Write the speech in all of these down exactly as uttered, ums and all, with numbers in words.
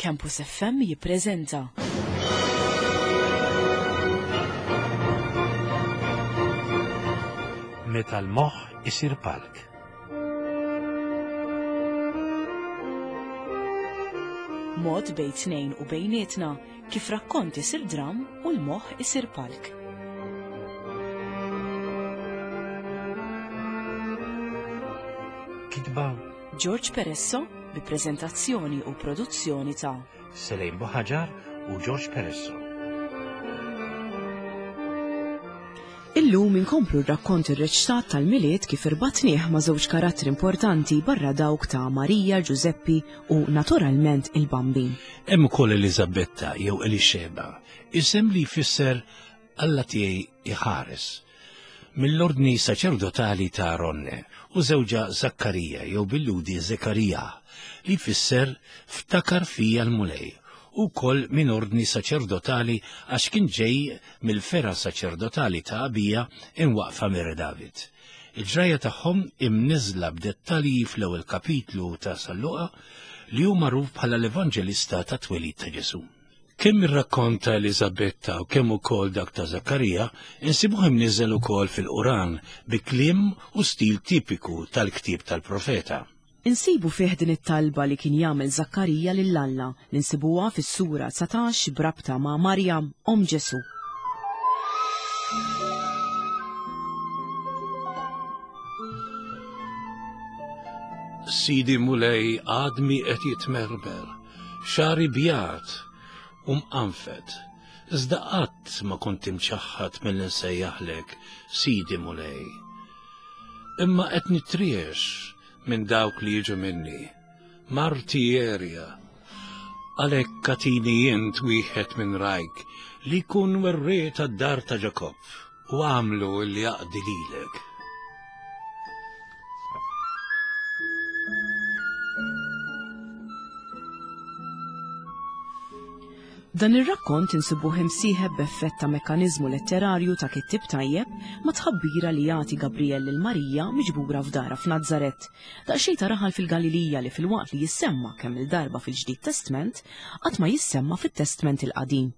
Campus F M jippreżenta Meta l-moħħ isir palk. Mod bejn tnejn u bejnietna kif rakkont isir dram u l-moħħ isir palk. Kitba George Peresso bi preżentazzjoni u produzzjoni ta' Selejn Buħaġar u George Peresso. Illum inkomplu r-rakkont irreċtat tal-Milied kif irbatnieh ma' żewġ karattri importanti barra dawk ta' Marija, Ġużeppi u naturalment il-Bambin. Hemm ukoll Eliżabetta jew Elixeba, isem li jfisser Alla tiegħi iħares. Mill-ordni saċerdotali ta' Aronne u żewġha Zakkarija jew bil-Lhudi Zekarija li jfisser ftakar fija l-Mulej u wkoll minn ordni saċerdotali għax kien ġej mill-fergħa saċerdotali ta' Abija imwaqfa mir David. Il-ġrajja tagħhom imniżla b'dettalji fl-ewwel kapitlu ta' San Luqa li hu magħruf bħala l-Evanġelista ta' twelid ta' Ġesu. Kemm ir-rakkont ta' Eliżabetta u kemm ukoll dak ta' Zakkarija insibuh imniżel ukoll fil-Quran bi kliem u stil tipiku tal-ktieb tal-profeta. Insibu fih din it-talba li kien jagħmel Zakkarija lil Alla li nsibuha fis-sura dsatax b'rabta ma' Marjam omm Ġesu. Sidi Mulej, għadmi qed jitmermer, xagħri bjad u mqanfed, iżda qatt ma kont imċaħħad milli nsejjaħlek Sidi Mulej. Imma qed nitriex minn dawk li jiġu minni, marti għerja. Għalhekk agħtini int wieħed minn rgħajk li jkun werriet għad-dar ta' Ġakobb u għamlu li jaqdi lilek. Dan ir-rakkont insibuh imsieħeb b'effett ta' mekkaniżmu letterarju ta' kittib tajjeb ma' tħabbira li jagħti Gabriel lil Marija miġbura f'dara f'Nazaret. Daqsxejn ta' raħal fil-Galilija li filwaqt li jissemma kemm il-darba fil-Ġdid Testment, qatt ma jissemma fit-Testment il-Qadim.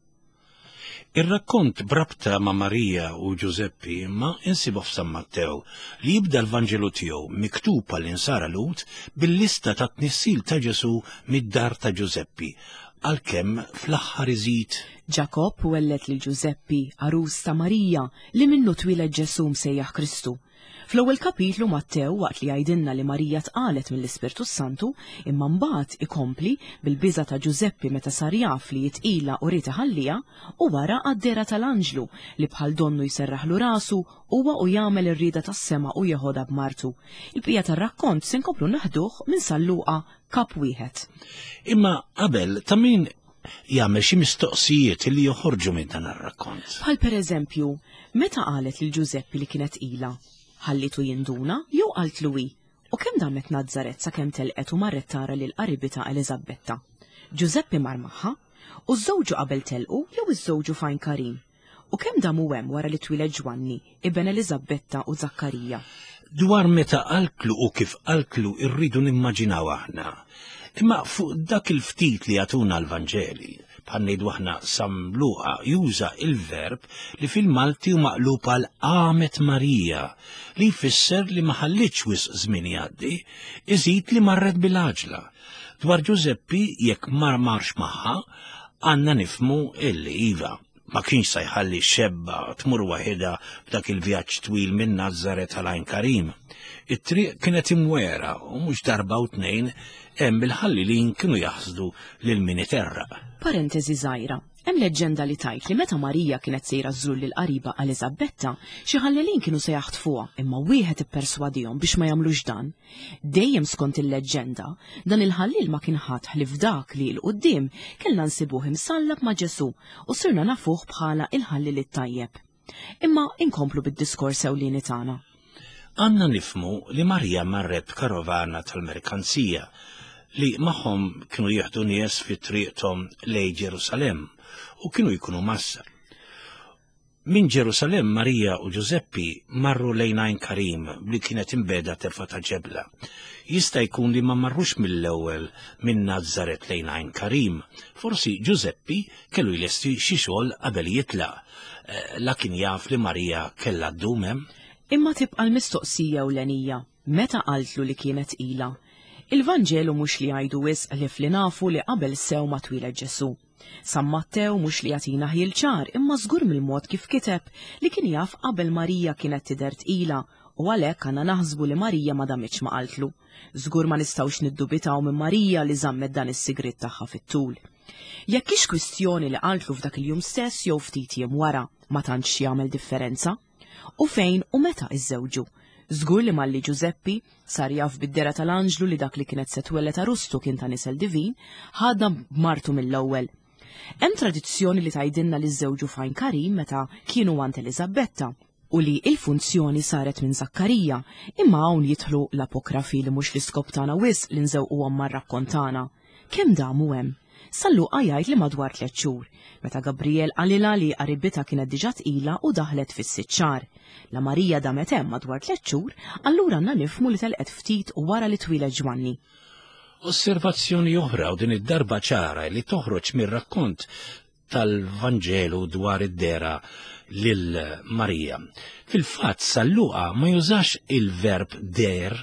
Ir-rakkont b'rabta ma' Marija u Ġużeppi imma insibu f'San Mattew li jibda l-Vanġelu tiegħu miktub għall-insara Lhud bil-lista ta' tnissil ta' Ġesu mid-dar ta' Ġużeppi, għalkemm fl-aħħar iżid Ġakobb welled lil Ġużeppi, għarus ta' Marija, li minnu twieled Ġesu msejjaħ Kristu. Fl-ewwel kapitlu Mattew waqt li jgħidilna li Marija tqalet mill-Ispirtu Santu, imma mbagħad ikompli bil-biża ta' Ġużeppi meta sar jaf li tqila u ried iħalliha, u wara għad-dehra tal-anġlu li bħal donnu jserraħlu rasu huwa u jagħmel ir-rieda tas-sema u jeħodha b'martu. Il-bqija tar-rakkont se nkomplu naħduh minn San Luqa kap wieħed. Imma qabel ta' min jagħmel xi mistoqsijiet li joħorġu minn dan ir-rakkont. Bħal pereżempju, meta qalet lil Ġużeppi li kienet tqila, ħallitu jinduna jew qaltlu hi? U kemm damet Nazaret sakemm telqet u marret tara lil qaribitha Eliżabetta? Ġużeppi mar magħha u żżewġu qabel telqu jew iżżewġu f'Għajn Karim? U kemm damu hemm wara li twieled Ġwanni, iben Eliżabetta u Zakkarija? Dwar meta qaltlu u kif qaltlu irridu nimmaġinaw aħna. Imma fuq dak il-ftit li jagħtuna l-Vanġeli, bħal ngħidu aħna San Luqa juża il-verb li fil-Malti hu maqlub għal qamet Marija, li jfisser li ma ħallitx wisq żmien jgħaddi, iżid li marret bil-għaġla. Dwar Ġużeppi jekk mar marx magħha, għandna nifhmu illi iva ma kienx se jħalli xebba tmur waħedha b'dak il-vjaġġ twil minn Nazaret għal Għajn Karim. It-triq kienet imwera u mhux darba u tnejn hemm il-ħallilin kienu jaħsdu lil min iterraq. Parentesi żgħira. Hemm leġġenda li tgħid li meta Marija kienet sejra żżur lil qariba Eliżabetta, xi ħallelin kienu se jaħtfuha, imma wieħed ipperswadihom biex ma jagħmlux dan. Dejjem skont il-leġġenda, dan il-ħallil ma kien ħadd ħlief dak li 'l quddiem kellna nsibuh imsallab ma' Ġesu u sirna nafuh bħala il-ħallil it-tajjeb. Imma inkomplu bid-diskors ewlieni tagħna. Għandna nifhmu li Marija marret b'karovana tal-merkanzija li magħhom kienu jieħdu nies fi triqthom lejn Ġerusalemm u kienu jkunu massa. Minn Ġerusalemm Marija u Ġużeppi marru lejn Għajn Karim li kienet imbeda terfa ta' ġebla. Jista' jkun li ma marrux mill-ewwel minn Nazaret lejn Għajn Karim. Forsi Ġużeppi kellu jlesti xi xogħol qabel jitlaq. La kien jaf li Marija kellha ddum hemm. Imma tibqa' l-mistoqsija ewlenija, meta qaltlu li kienet tqila? Il-Vanġelu mhux li jgħidu wisq ħlief li nafu li qabel sew ma twieled Ġesù. San Mattew mhux li jagħtina ħjiel ċar imma żgur mill-mod kif kiteb li kien jaf qabel Marija kienet tidher tqila u għalhekk għandna naħsbu li Marija ma damitx ma qaltlu. Żgur ma nistgħux niddubitaw minn Marija li żammet dan is-sigriet tagħha fit-tul. Jekk hix kwistjoni li qaltlu f'dak il-jum stess jew ftit jiem wara, ma tantx jagħmel differenza. U fejn u meta iżżewġu? Żgur li malli Ġużeppi sar jaf bid-dera tal-anġlu li dak li kienet se twellet arustu kien ta' nisel divin, ħadna b'martu mill-ewwel. Hemm tradizzjoni li tgħidilna li żżewġu f'Għajn Karim meta kienu għand Eliżabetta u li il-funzjoni saret minn Zakkarija, imma hawn jidħlu l-apokrafi li mhux l-iskop tagħna wisq li nżewquhom mar-rakkont tagħna. Kemm damu hemm? San Luqa jgħid li madwar tliet xhur, meta Gabriel qalilha li qaribitha kienet diġà tqila u daħlet fis-sitt xahar. La Marija damet hemm madwar tliet xhur, allura għandna nifhmu li telqet ftit wara li twieled Ġwanni. Osservazzjoni oħra u din id-darba ċara li toħroġ mir-rakkont tal-Vanġelu dwar id-dera lil Marija. Fil-fatt San Luqa ma jużax il-verb der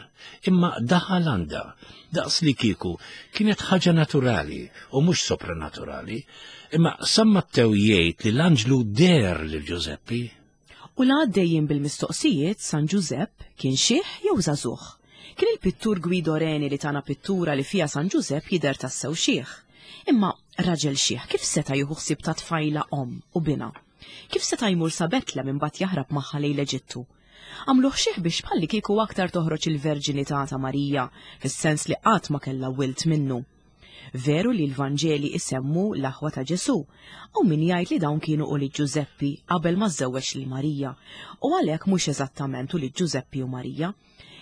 imma daħal għandha. Daqs li kieku kienet ħaġa naturali u mhux sopranaturali, imma San Mattew jgħid li l-anġlu der lil Ġużeppi. U la għaddejjin bil-mistoqsijiet San Ġużepp kien xiħ jew żagħżugħ? Kien il-pittur Guido Reni li tana pittura li fija San Ġużepp jidher tassew xiħ. Imma raġel xiħ kif seta' jieħu ħsieb ta' tfajla omm u bina? Kif seta' jmur sa Betlem imbagħad jaħrab magħha lejn l-Eġittu? Għamluh xiħ biex bħalli kieku aktar toħroġ il-verġinità ta' Marija, fis-sens li qatt ma kellha wilt minnu. Veru li l-Vanġeli isemmu l-aħwa ta' Ġesù, u min jgħid li dawn kienu ulied Ġużeppi qabel ma żżewweġ lil Marija, u għalhekk mhux eżattament ulied Ġużeppi u Marija.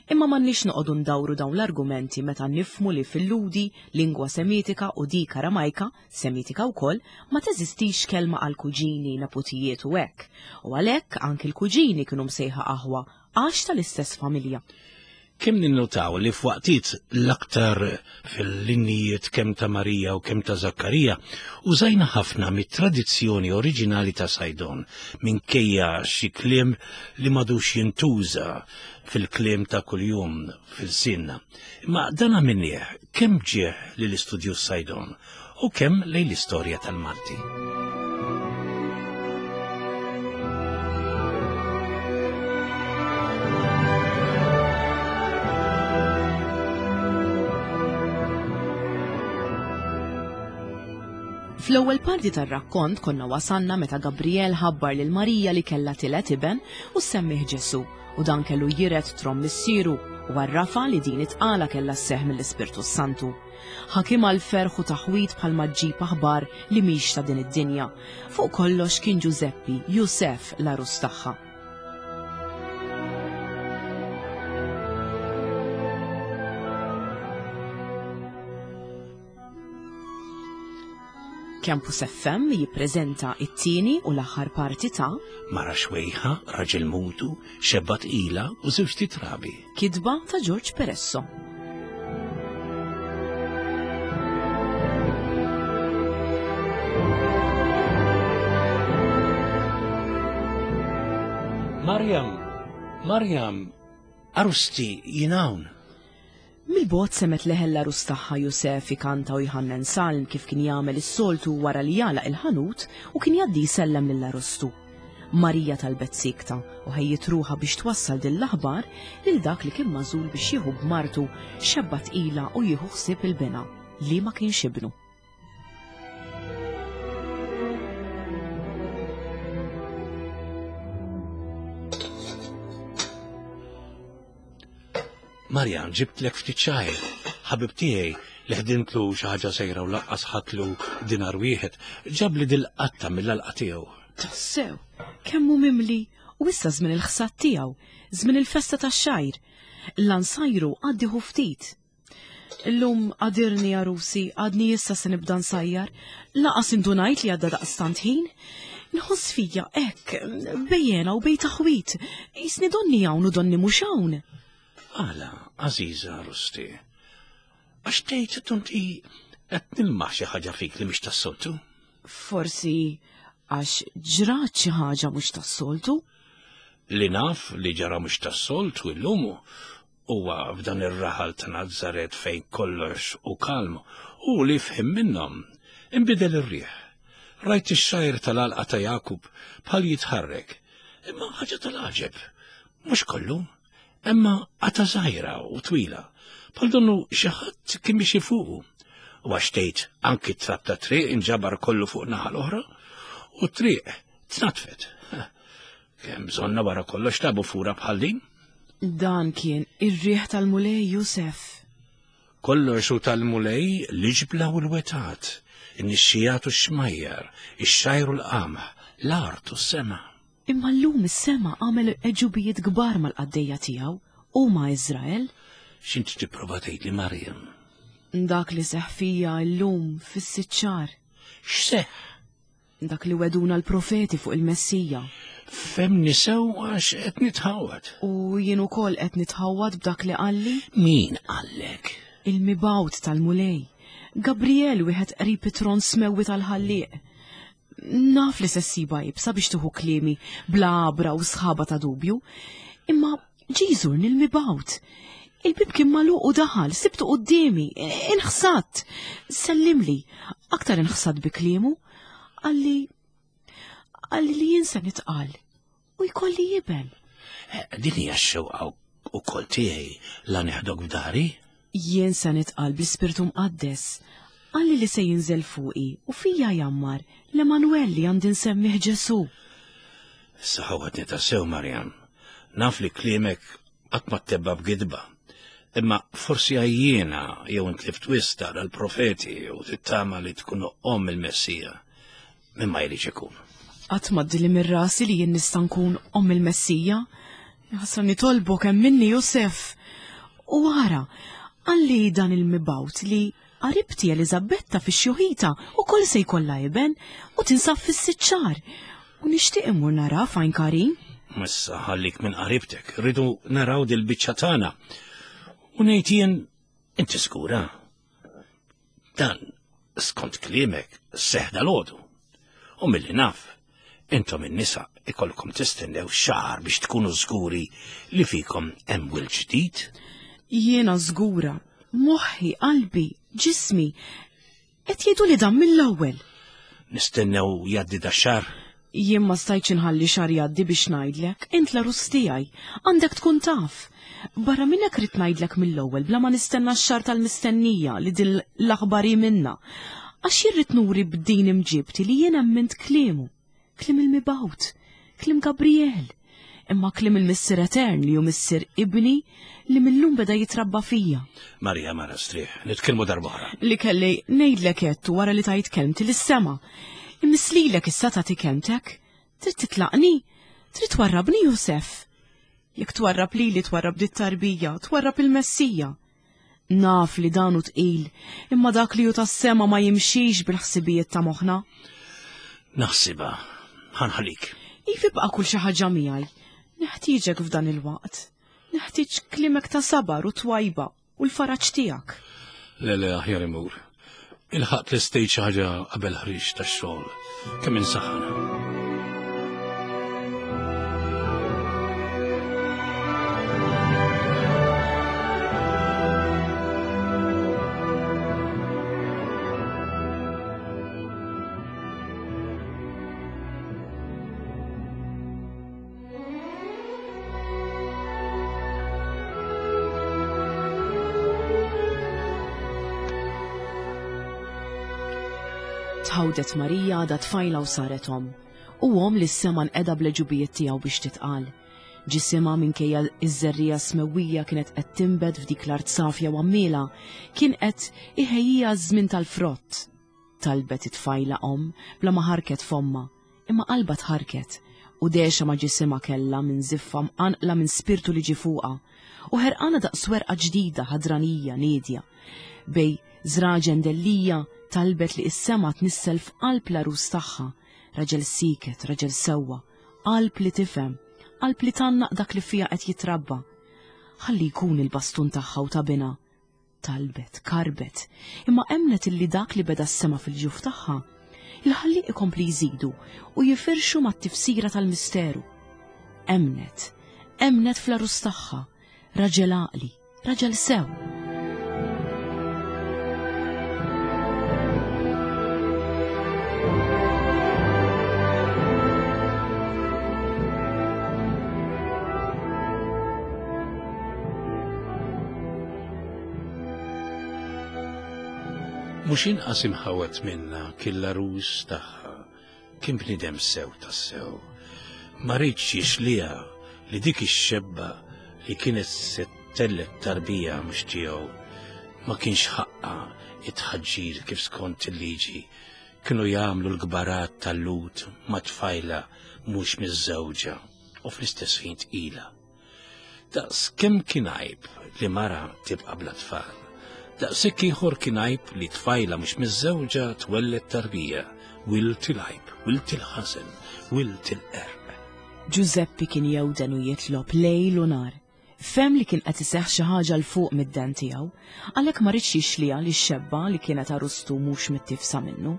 Imma m'għandniex noqogħdu ndawru dawn l-argumenti meta nifhmu li fil-Lhudi, lingwa Semitika u dik Aramajka, Semitika wkoll, ma teżistix kelma għal kuġini, neputijiet u hekk. U għalhekk anki l-kuġini kienu msejħa aħwa għax tal-istess familja. Kemm ninnutaw li f'waqtiet l-aktar fil-linnijiet kemm ta' Marija u kemm ta' Zakkarija użajna ħafna mit-tradizzjoni oriġinali ta' Saydon minkejja xi kliem li m'għadux jintuża fil-kliem ta' kuljum fil-sinna. Imma dan għamilnieh kemm ġieħ lill-istudju Saydon u kemm lejn l-istorja tal-Malti. Fl-ewwel parti tar-rakkont konna wasanna meta Gabriel ħabbar lil Marija li kellha tielet iben u semmih Ġesù, u dan kellu jiret trom missieru u għarrafa li din it-tqala kellha sseħħ mill-Ispirtu Santu. Ħakim għal ferħ u taħwit bħalma ġġib aħbar li mhix ta' din id-dinja. Fuq kollox kien Ġużeppi, Jusef l-għarus tagħha. Campus F M jippreżenta it-tieni u l-aħħar parti ta' Mara xwejħa, raġel mutu, xebba tqila u żewġ titrabi. Kitba ta' George Peresso. Marjam, Marjam, arusti jien hawn. Mill-bogħod semet leħel l-għarus tagħha Jusef ikanta u jħannen salm kif kien jagħmel is-soltu wara li jagħlaq il-ħanut u kien jgħaddi jsellem lill-arustu. Marija talbet sikta u ħejjiet ruħha biex twassal din l-aħbar lil dak li kien magħżul biex jieħu b'martu xebba tqila u jieħu ħsieb il-bina li ma kienx ibnu. Marjan, ġibtlek ftit xgħir. Ħabib tiegħi li ħdimtlu xi ħaġa sejra u laqqas ħatlu dinar wieħed, ġabli dil-qatta mill-alqa tiegħu. Tassew, kemm hu mimli u issa żmien il-ħsad tiegħu, żmien il-festa tax-xgħir. L-ansajru għaddiħu ftit. Illum għadirni għarusi, għadni issa se nibda nsajjar, laqas indunajt li għadda daqstant ħin. Nħoss fija hekk, bejjena u bej taħwit, jisni donni hawn u donni mhux hawn. Għala, għażiża Rusti, għax tgħid tonti qed nilmaħ xi ħaġa fik li mhix tas-soltu? Forsi għax ġrat xi ħaġa mhux tas-soltu? Li naf li ġara mhux tas-soltu illum huwa f'dan ir-raħal ta' Nazaret fejn kollox u kalm u li fħim minnhom inbidel ir-riħ. Rajt ix-xajr tal-għalqa ta' Jakub bħal jitħarrek, imma ħaġa tal-għaġeb, mhux kollu, imma qata żgħira u twila, bħal donnu xi ħadd kien biex fuqu. U għax tgħid anki t-trab ta' triq inġabar kollu fuq naħa l-oħra u t-triq tnatfet. Kemm bżonna wara kollox tabu fura bħal din? Dan kien ir-riħ tal-Mulej, Josef. Kollox hu tal-Mulej, l-iġbla u l-wetat, in-nixxijat u x-xmajjar, ix-xajr u l-qamħ, l-art u s-sema. Imma llum is-sema għamel għeġubijiet kbar mal-qaddejja tiegħu u ma' Iżrael. X'inti tipprova tgħidli, Marjam? Dak li seħħ fija llum fis-sitt xahar. X'seħħ? Dak li weduna l-profeti fuq il-Messija. Femni sew għax qed nitħawad. U jien ukoll qed nitħawad b'dak li qalli? Min qallek? Il-mibgħut tal-Mulej. Gabriel wieħed qrib it-tron smewwi tal-ħallieq. Naf li se ssiba iebsa biex tieħu kliemi bla għabra u sħaba ta' dubju, imma ġie jżurni l-mibgħut. Il-bib kien magħluq u daħal, sibtu quddiemi, inħsadt. Sellimli, aktar inħsadt bi kliemu. Qalli, qalli li jien se nitqal u jkolli jiben. Din hija x-xewqa wkoll tiegħi la neħdok f'dari? Jien se nitqal bl-Ispirtu Mqaddes. Qalli li se jinżel fuqi u fija jammar l-Emanuel li għandi nsemmih Ġesu. Issa ħawatni tassew, Marjam. Naf li kliemek qatt ma ttebba b'gidba. Imma forsi għajjiena jew intlift wisq taqra l-profeti u tittama li tkun omm il-Messija. Mimma jridx ikun. Qatt ma ddili minn rasi li jien nista' nkun omm il-Messija. Ħasra nitolbok hemm minni, Josef. U ara, qalli dan il-mibgħut li qaribti Eliżabetta fix-xjuħita ukoll se jkollha iben u tinsab fis-sitt xahar. U nixtieq immur nara fajn Karin. Issa ħallik minn qaribtek, rridu naraw dil-biċċa tagħna. U ngħid jien inti żgura. Dan skont kliemek seħħ dalgħodu. U milli naf, intom in-nisa ikolkom tistennew xahar biex tkunu żguri li fikom hemm wild ġdid. Jiena żgura, moħħi, qalbi, ġismi, qed jgħidu li dan mill-ewwel. Nistennew jgħaddi da xahar? Jien ma stajtx inħalli xahar jgħaddi biex ngħidlek, int l-għarus tiegħi, għandek tkun taf. Barra minn hekk rid ngħidlek mill-ewwel bla ma nistenna x-xahar tal-mistennija li din l-aħbar hi minna. Għax jien rrid nuri b'din imġibti li jien emmint kliemu, kliem il-mibgħut, kliem Gabriel, imma kliem il-Missier Etern li hu missier ibni li millum beda jitrabba fija. Marija, mara strieħ, nitkellmu darb'oħra. Li kelli ngħidlek għedtu wara li tajt kelmti lis-sema. Immislilek issa tagħti kelmtek. Trid titlaqni? Trid twarrabni, Josef? Jekk twarrab lili twarrab dit tarbija, twarrab il-Messija. Naf li dan hu tqil, imma dak li hu tas-sema ma jimxix bil-ħsibijiet ta' moħħna. Naħsibha, ħanħalik. If ibqa' kull xi ħaġa miegħi. Neħtieġek f'dan il-waqt. Neħtieġ kliemek ta' sabar u twajba u l-faraġ tiegħek. Le, le, aħjar imur. Ilħaqt l-istejt xi ħaġa qabel ħriġ tax-xogħol. Kemm insaħħana. Tħawdet Marija għadha tfajla u saret omm, u omm li s-sema nqeda bl-għeġubijiet tiegħu biex titqal. Ġisimha minkejja iż-żerrija smewwija kienet qed tinbet f'dik l-art safja u għammiela, kien qed iħejjija ż-żmien tal-frott. Talbet it-tfajla omm bla ma ħarket fomma, imma qalba tħarket u dexa ma ġisimha kellha minn ziffa mqanqla minn spirtu li ġie fuqha, u ħerqana daqs werqa ġdida ħadranija niedja. Bej żraġen dellija talbet li s-sema tnissel f'qalb l-għarus tagħha, Raġel siket, raġel sewwa, qalb li tifhem, qalb li tgħannaq dak li fiha qed jitrabba. Ħalli jkun il-bastun tagħha u ta' binha. Talbet, karbet, imma emnet illi dak li beda s-sema fil-ġuf tagħha, il-ħalliq ikompli jżidu u jifirxu mat-tifsira tal-misteru. Emnet, emnet fl-għarus tagħha, raġel għaqli, raġel sew. Mhux inqas imħawet minna kien l-għarus tagħha, kien bniedem sew tassew. Ma riedx jixliha li dik ix-xebba li kienet se tellet tarbija mhux tiegħu ma kienx ħaqqa it-tħaġġir kif skont il-liġi kienu jagħmlu l-kbarat tal-Lut ma' tfajla mhux miż-żewġa u fl-istess ħin tqila. Daqs kemm kien għajb li mara tibqa' bla tfal. Daqshekk ieħor kien għajb li tfajla mhux miż-żewġa twelled tarbija, wilt il-għajb, wilt il-ħażen, wilt il-qerq. Ġużeppi kien jewden u jitlob lejl u nar. Fem li kien qed iseħħ xi ħaġa 'l fuq mid-den tiegħu, għalhekk ma ridx jixliha li x-xebba li kienet għarustu mhux mittifsa minnu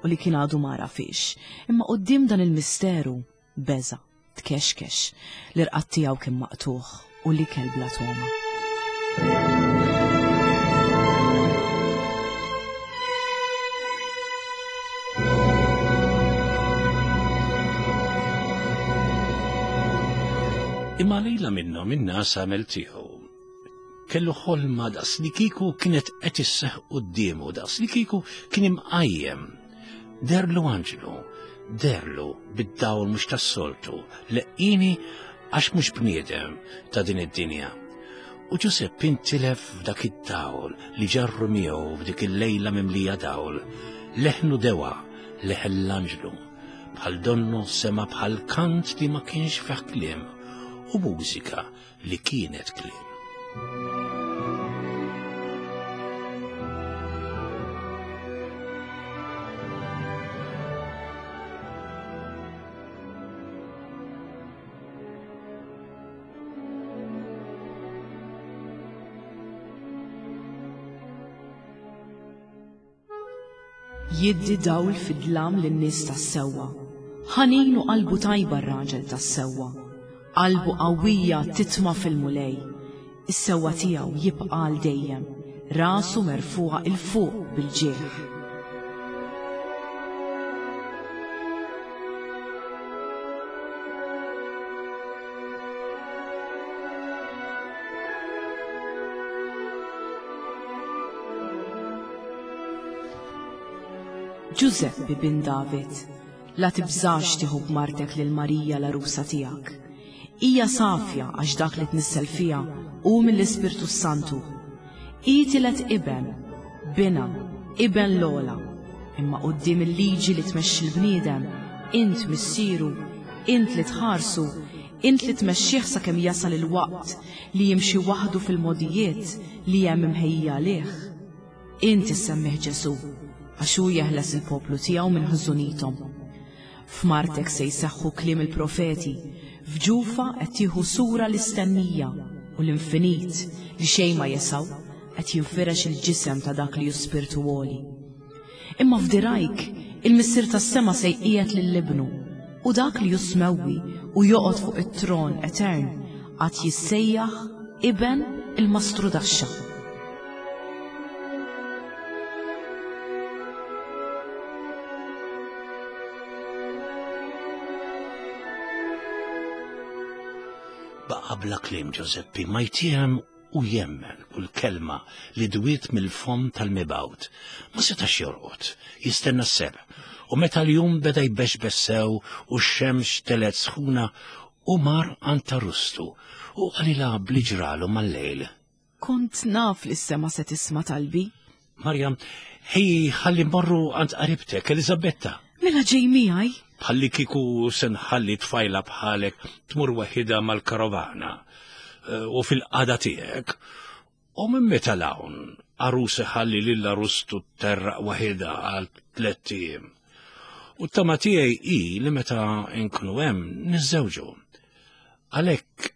u li kien għadu ma għarafhiex, imma quddiem dan il-misteru beża', tkexkex, l-irqad tiegħu kien maqtugħ u l-ikel bla togħma. Imma lejla minnhom in-nas għamel tiegħu. Kellu ħolma daqs li kieku kienet qed isseħħ quddiemu, daqs li kieku kien imqajjem. Derlu anġlu, derlu bid-dawl mhux tas-soltu, leqqini għax mhux bniedem ta' din id-dinja. U Ġużeppi intilef f'dak id-dawl li ġarru miegħu f'dik il-lejla mimlija dawl. Leħnu dewa, leħen l-anġlu, bħal donnu sema bħal kant li ma kienx fih kliem u mużika li kienet kliem. Jiddi dawl fid-dlam lin-nies tas-sewwa. Ħanin u qalbu tajba r-raġel tas-sewwa. Qalbu qawwija titma' fil-Mulej. Is-sewwa tiegħu jibqa' għal dejjem, rasu merfuqa 'il fuq bil-ġieħ. Ġużeppi bin David, la tibżax tieħu b'martek lil Marija l-għarusa tiegħek. Hija safja għax dak li tnissel fiha hu mill-Ispirtu Santu. Hi tiled iben, binha, iben l-ogħla. Imma quddiem il-liġi li tmexxi l-bniedem, int missieru, int li tħarsu, int li tmexxih sakemm jasal il-waqt li jimxi waħdu fil-mogħdijiet li hemm imħejjija għalih. Int issemmih Ġesù, għax hu jeħles il-poplu tiegħu minn ħżunithom. F'martek se jseħħu kliem il-profeti, f'ġufa qed tieħu sura l-istennija u l-infinit li xejn ma jesaw qed jinfirex il-ġisem ta' dak li hu spirtu għoli. Imma f'dirajk il-Missier tas-sema se jqiegħed lil ibnu u dak li hu smewwi u joqgħod fuq it-tron etern għad jissejjaħ iben il-mastrudaxxa. Baqa' bla kliem Ġużeppi ma jtiehem u jemmen kull kelma li dwiet mill-fomm tal-mibgħut. Ma setax jorqod, jistenna s-sebħ, u meta l-jum beda jbexbex sew u x-xemx telet sħuna, u mar għand ta' rustu u qalilha bli ġralu mal-lejl. Kont naf li s-sema se tisma' talbi. Marja, ħej ħalli mmorru għand qaribtek, Eliżabetta. Mela ġej miegħi? Bħalli kieku se nħalli tfajla bħalek tmur waħidha mal-karovana u fil-qada tiegħek. U minn meta l-hawn għarus iħalli lil għarustu terraq waħidha għal tliet ijiem. U t-tama tiegħi hi li meta nkunu hemm niżżewġu. Għalhekk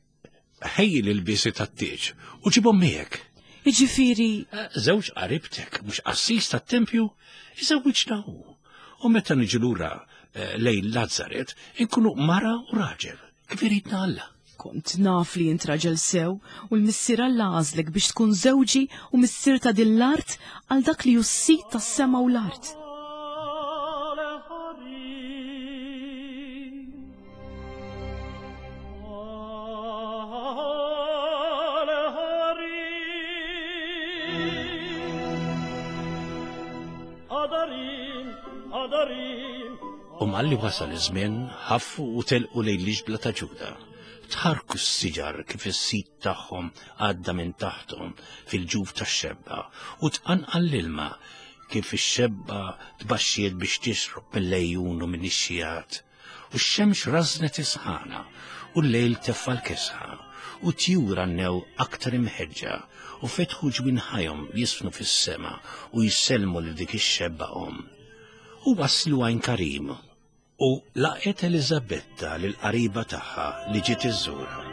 ħejji l-ilbiesi tat-tieġ u ġibhom miegħek. Jiġifieri Żewġ qaribtek mhux qassis tat-tempju, iżewwiġna hu. U meta niġu lura eh, lejn Lazzaret, inkunu mara u raġel, kif iridna Alla. Kont naf li int raġel sew u l-missier Alla għażlek biex tkun żewġi u missier ta' din l-art għal dak li hu s-sid tas-sema u l-art. U malli wasal iż-żmien, ħaffu u telqu lejn l-iġbla ta' Ġuda. Tħarku s-siġar kif is-sit tagħhom għadda minn taħthom fil-ġuf tax-xebba u tqanqal l-ilma kif ix-xebba tbaxxiet biex tixrob mill-lejjun u minn ix-xijat. U x-xemx rażnet isħana u l-lejl teffa l-kesħa u tjur għannew aktar imħeġġa u fetħu ġwinħajhom jisfnu fis-sema u jsellmu lil dik ix-xebba omm. U waslu għajn Karim u laqgħet Eliżabetta lil qariba tagħha li ġiet iżżurha.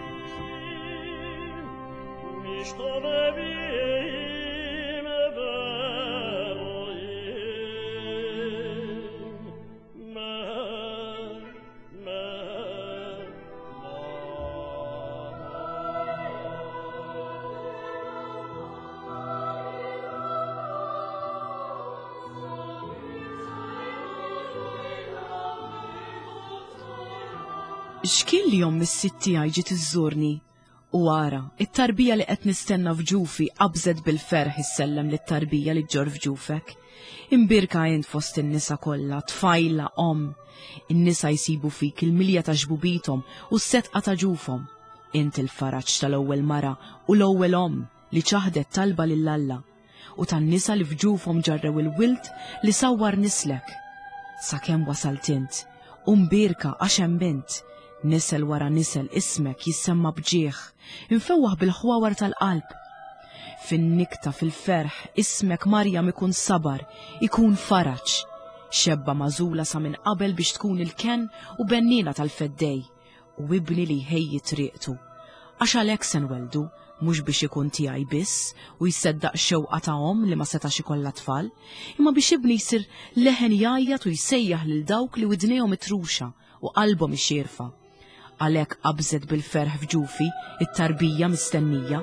X'kien li omm is-sid tiegħi ġiet iżżurni? U ara, it-tarbija li qed nistenna f'ġufi qabżet bil-ferħ issellem lit-tarbija li ġġorr f'ġufek. Imbierka int fost in-nisa kollha, tfajla omm. In-nisa jsibu fik il-milja ta' xbubithom u s-setqa ta' ġufhom. Int il-faraġ tal-ewwel mara u l-ewwel omm li ċaħdet talba lil Alla u tan-nisa li f'ġufhom ġarrew il-wild li sawwar nislek. Sakemm wasalt int, u mbierka għax hemm int. Nisel wara nisel ismek jissemma bġieħ, imfewwaħ bil-ħwawar tal-qalb. Fin-nikta fil-ferħ ismek Marjam ikun sabar, ikun faraġ. Xebba magħżula sa minn qabel biex tkun il-kenn u bennina tal-feddej u ibni li jħejji triqtu. Għax għalhekk se nweldu, mhux biex ikun tiegħi biss u jseddaq xewqa ta' omm li ma setax ikollha tfal, imma biex ibni jsir leħen jgħajjat u jsejjaħ lil dawk li widnejhom itruxa u qalbhom ixierfa. Għalhekk qabżet bil-ferħ f'ġufi it-tarbija mistennija.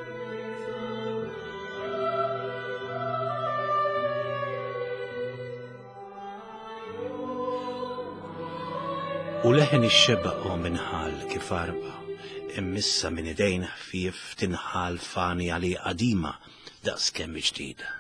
U leħen ix-xebba omm inħall kif arba, immissa minn idejn ħfief tinħall fani għali qadima daqs kemm ġdida.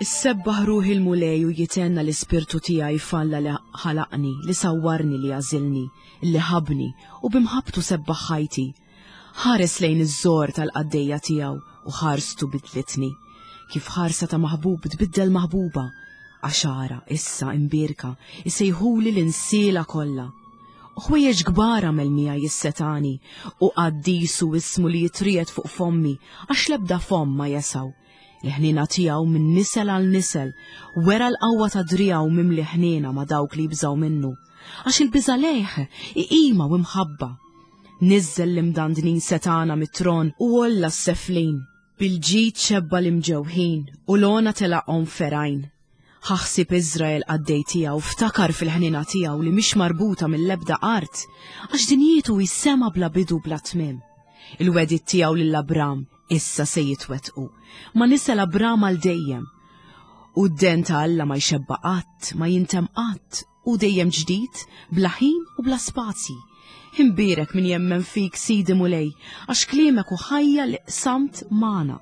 Issebbaħ ruħi l-Mulej u jitenna l-ispirtu tiegħi f'Alla li ħalaqni, li sawwarni, li għażilni, li ħabni u bimħabtu sebbaħ ħajti. Ħares lejn iż-żor tal-qaddejja tiegħu u ħarstu bidlitni. Kif ħarsa ta' maħbub tbiddel maħbuba, għax ara issa imbierka isejħuli l-insiela kollha. U ħwejjeġ kbar għamel miegħi is-setani u qaddisu ismu li jitriegħed fuq fommi għax l-ebda fomm ma jesaw. L-ħniena tiegħu minn nisel għal nisel, wera l-qawwa ta' driegħu mimli ħniena ma' dawk li jibżgħu minnu. Għax il-biża' lejh iqima u imħabba. Niżżel l-imdandnin setana mit-tron u għolla s-seflin. Bil-ġid xebba l-imġewħin u l-għona telaqhom ferajn. Ħaħsib Iżrael qaddej tiegħu, ftakar fil-ħniena tiegħu li mhix marbuta mill-ebda art, għax dinjietu hi sema bla bidu bla tmiem. Il-wedid tiegħu lil Abram issa se jitwettqu, ma nisel Abram għal dejjem. U d-den ta' Alla ma jxebba qatt, ma jintem qatt, u dejjem ġdid, bla ħin u bla spazji. Imbierek min jemmen fik, Sidi Mulej, għax kliemek u ħajja li qsamt magħna.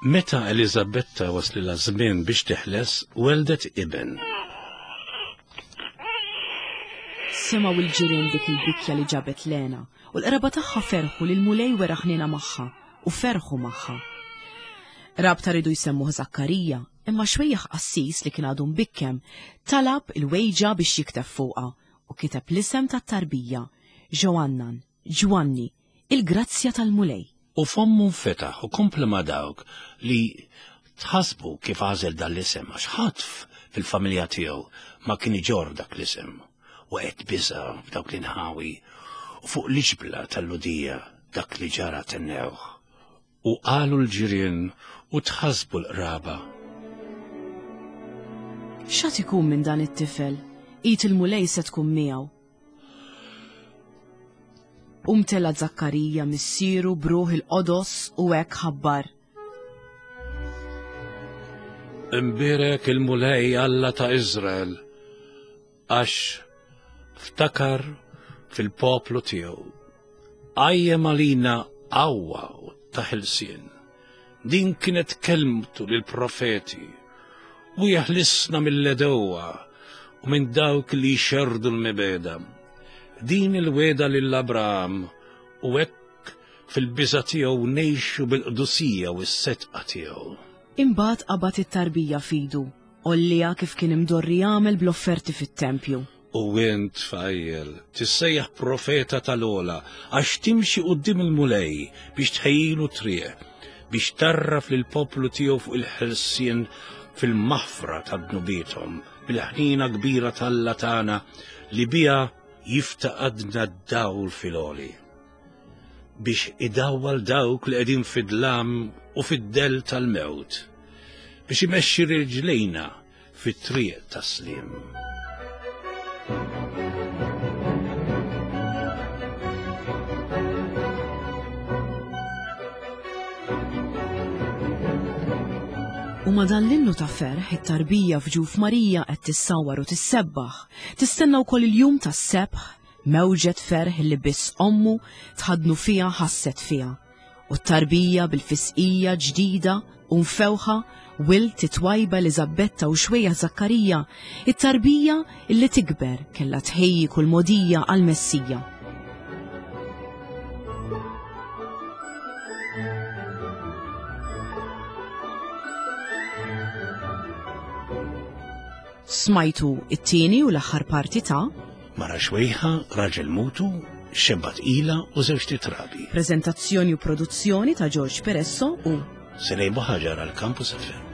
Meta Eliżabetta waslilha żmien biex teħles, weldet iben. Semgħu l-ġirien dik il-bikja li ġabet Lena u l-qraba tagħha ferħu li l-Mulej wera ħniena magħha u ferħu magħha. Rabta ridu jsemmuh Zakkarija, imma xwejjaħ qassis li kien għadu mbikkem talab il-wejġa biex jikteb fuqha u kiteb l-isem tat-tarbija, Ġoannan, Ġwanni, il-grazzja tal-Mulej. U fommu nfetaħ u kompla ma' dawk li tħasbu kif għażel dan l-isem għax ħadd fil-familja tiegħu ma kien iġorr dak l-isem. U qed biża' f'dawk l-inħawi u fuq l-iġbla tal-Ludija dak li ġara tennewh. U qalu l-ġirien u tħasbu l-qraba. X'għad ikun minn dan it-tifel? Id il-Mulej se tkun miegħu. U mtela Zakkarija missieru b'ruħ il-qodos u hekk ħabbar. Imbierek il-Mulej Alla ta' Iżrael, għax ftakar fil-poplu tiegħu. Qajjem għalina qawwa ta' ħelsien. Din kienet kelmtu lill-profeti u jeħlisna mill-għedewwa u minn dawk li jxerrdu l-mibegħda. Din il-wegħda lil Abraham u hekk fil-biża' tiegħu ngħixu bil-qdusija u s-sedqa tiegħu. Imbagħad qabad it-tarbija f'idu, għollieha kif kien imdorri jagħmel bl-offerti fit-tempju. U int, tfajjel, tissejjaħ profeta tal-Ogħla, għax timxi quddiem il-Mulej biex tħejjilu triq, biex tgħarraf lill-poplu tiegħu fuq il-ħelsien fil-maħfra ta' dnubiethom, bil-ħnina kbira t'Alla tagħna li biha jiftaqadna d-dawl fil-għoli, biex idawwal dawk li qegħdin fid-dlam u fid-dell tal-mewt, biex imexxi riġlejna fit-triq tas-sliem. U ma' dan l-innu ta' ferħ, it-tarbija f'ġuf Marija qed tissawar u tissebbaħ, tistenna wkoll il-jum tas-sebħ, mewġet ferħ li biss ommu tħadnu fiha ħasset fiha. U t-tarbija bil-fisqija ġdida u mfewħa wild titwajba Eliżabetta u xwejja Zakkarija, it-tarbija illi tikber kellha tħejji kull mogħdija għall-Messija. Smajtu it-tieni u l-aħħar parti ta' Mara xwejħa, raġel mutu, xebba tqila u żewġt itrabi. Prezentazzjoni u produzzjoni ta' George Peresso u Selej Buħaġar għal Campus F M.